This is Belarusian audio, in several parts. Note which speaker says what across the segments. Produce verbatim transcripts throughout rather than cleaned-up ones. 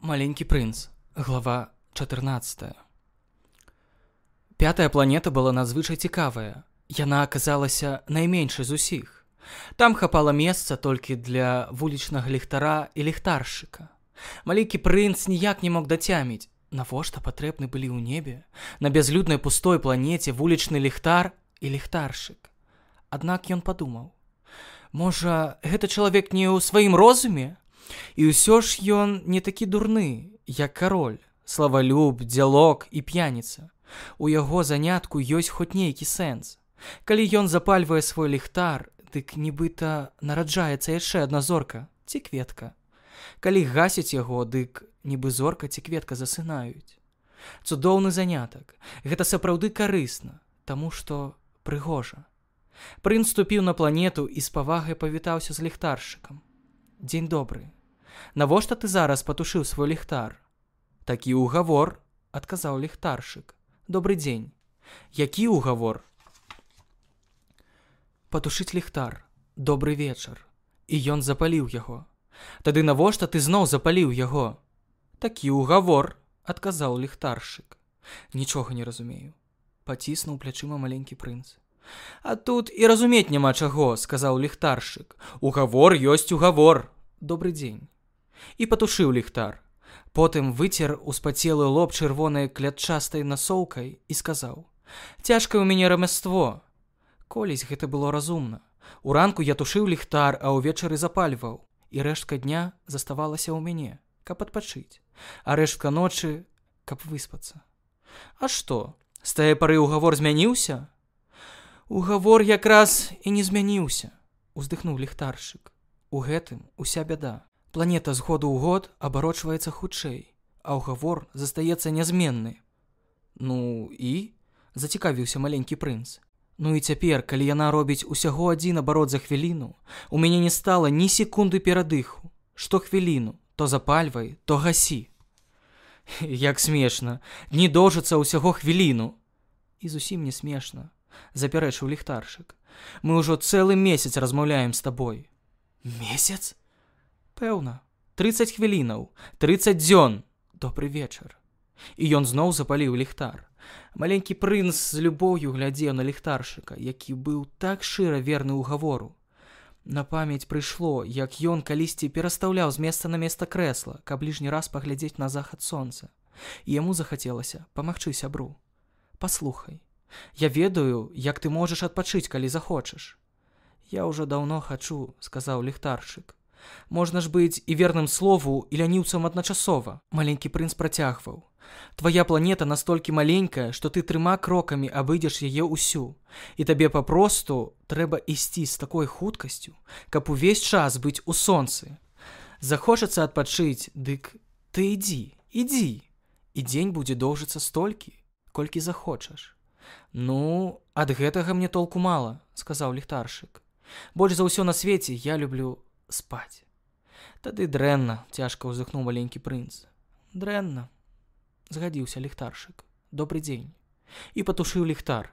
Speaker 1: Маленький прынц. Глава чатырнаццатая. Пятая планета была надзвычай цікавая. Яна аказалася найменшай з усіх. Там хапала месца толькі для вулічнага ліхтара і ліхтаршчыка. Маленькі прынц ніяк не мог дацяміць, навошта патрэбны былі ў небе на бязлюднай пустой планеце вулічны ліхтар і ліхтаршчык. Аднак ён падумаў, можа, гэта чалавек не ў сваім розуме? І ўсё ж ён не такі дурны, як кароль, славалюб, дзялок і п'яніца. У яго занятку ёсць хоць нейкі сэнс. Калі ён запальвае свой ліхтар, дык нібыта нараджаецца яшчэ адна зорка ці кветка. Калі гасіць яго, дык нібы зорка ці кветка засынаюць. Цудоўны занятак. Гэта сапраўды карысна, таму што прыгожа. Прынц ступіў на планету і з павагай павітаўся з ліхтаршчыкам. Дзень добры. Навошта ты зараз патушыў свой ліхтар? Такі ўгавор, адказаў ліхтаршчык. Добры дзень. Які ўгавор? Патушыць ліхтар. Добры вечар. І ён запаліў яго. Тады навошта ты зноў запаліў яго? Такі ўгавор, адказаў ліхтаршчык. Нічога не разумею. Паціснуў плячыма маленькі прынц. А тут і разумець няма чаго, сказаў ліхтаршчык. Угавор ёсць угавор. Добры дзень. І патушыў ліхтар. Потым выцер успацелы лоб чырвонай клятчастай насоўкай і сказаў: «Цяжкае ў мяне рамяство». Колісь гэта было разумна. Уранку я тушыў ліхтар, а ўвечары запальваў. І рэштка дня заставалася ў мяне, каб адпачыць. А рэштка ночы, каб выспацца. А што, з тае пары угавор змяніўся? Угавор якраз і не змяніўся, уздыхнуў ліхтаршчык. У гэтым уся бяда. Планета з году ў год абарочваецца хутчэй, а ўгавор застаецца нязменны. Ну і? Зацікавіўся маленькі прынц. Ну і цяпер, калі яна робіць усяго адзін абарот за хвіліну, у мяне не стала ні секунды перадыху. Што хвіліну, то запальвай, то гасі. Як смешна, дні доўжацца ўсяго хвіліну. І зусім не смешна, запярэчыў ліхтаршчык. Мы ўжо цэлы месяц размаўляем з табой. Месяц? Пэўна, трыццаць хвілінаў, трыццаць дзён. Добры вечар. І ён зноў запаліў ліхтар. Маленькі прынц з любоўю глядзеў на ліхтаршчыка, які быў так шчыра верны ўгавору. На памяць прыйшло, як ён калісьці перастаўляў з месца на месца крэсла, каб лішні раз паглядзець на захад сонца. І яму захацелася памагчы сябру. Паслухай, я ведаю, як ты можаш адпачыць, калі захочаш. Я ўжо даўно хачу, сказаў ліхтаршчык. Можна ж быць і верным слову, і ляніўцам адначасова. Маленькі прынц працягваў. Твая планета настолькі маленькая, што ты трыма крокамі абыдзеш яе ўсю. І табе папросту трэба ісці з такой хуткасцю, каб увесь час быць у сонцы. Захочацца адпачыць, дык ты ідзі, ідзі. І дзень будзе доўжыцца столькі, колькі захочаш. Ну, ад гэтага мне толку мала, сказаў ліхтаршчык. Больш за ўсё на свеце я люблю спаць. Тады дрэнна, цяжка ўздыхнуў маленькі прынц. Дрэнна, згадзіўся ліхтаршчык. Добры дзень. І патушыў ліхтар.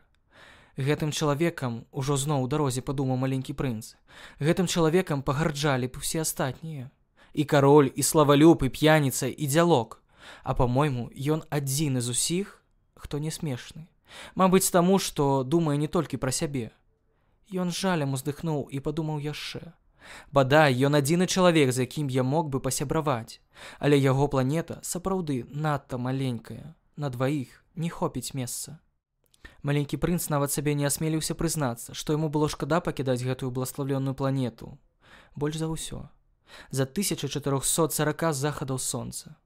Speaker 1: Гэтым чалавекам ужо зноў у дарозе падумаў маленькі прынц. Гэтым чалавекам пагарджалі б усе астатнія. І кароль, і славалюб, і п'яніца, і дзялок. А па-мойму, ён адзіны з усіх, хто не смешны. Мабыць, таму, што думае не толькі пра сябе. Ён жалем уздыхнуў і падумаў яшчэ. Бадай, ён адзіны чалавек, з якім я мог бы пасябраваць, але яго планета сапраўды надта маленькая, на дваіх не хопіць месца. Маленькі прынц нават сабе не асмеліўся прызнацца, што яму было шкада пакідаць гэтую бласлаўленную планету. Больш за ўсё. За тысяча чатырохсот сорока захадаў сонца.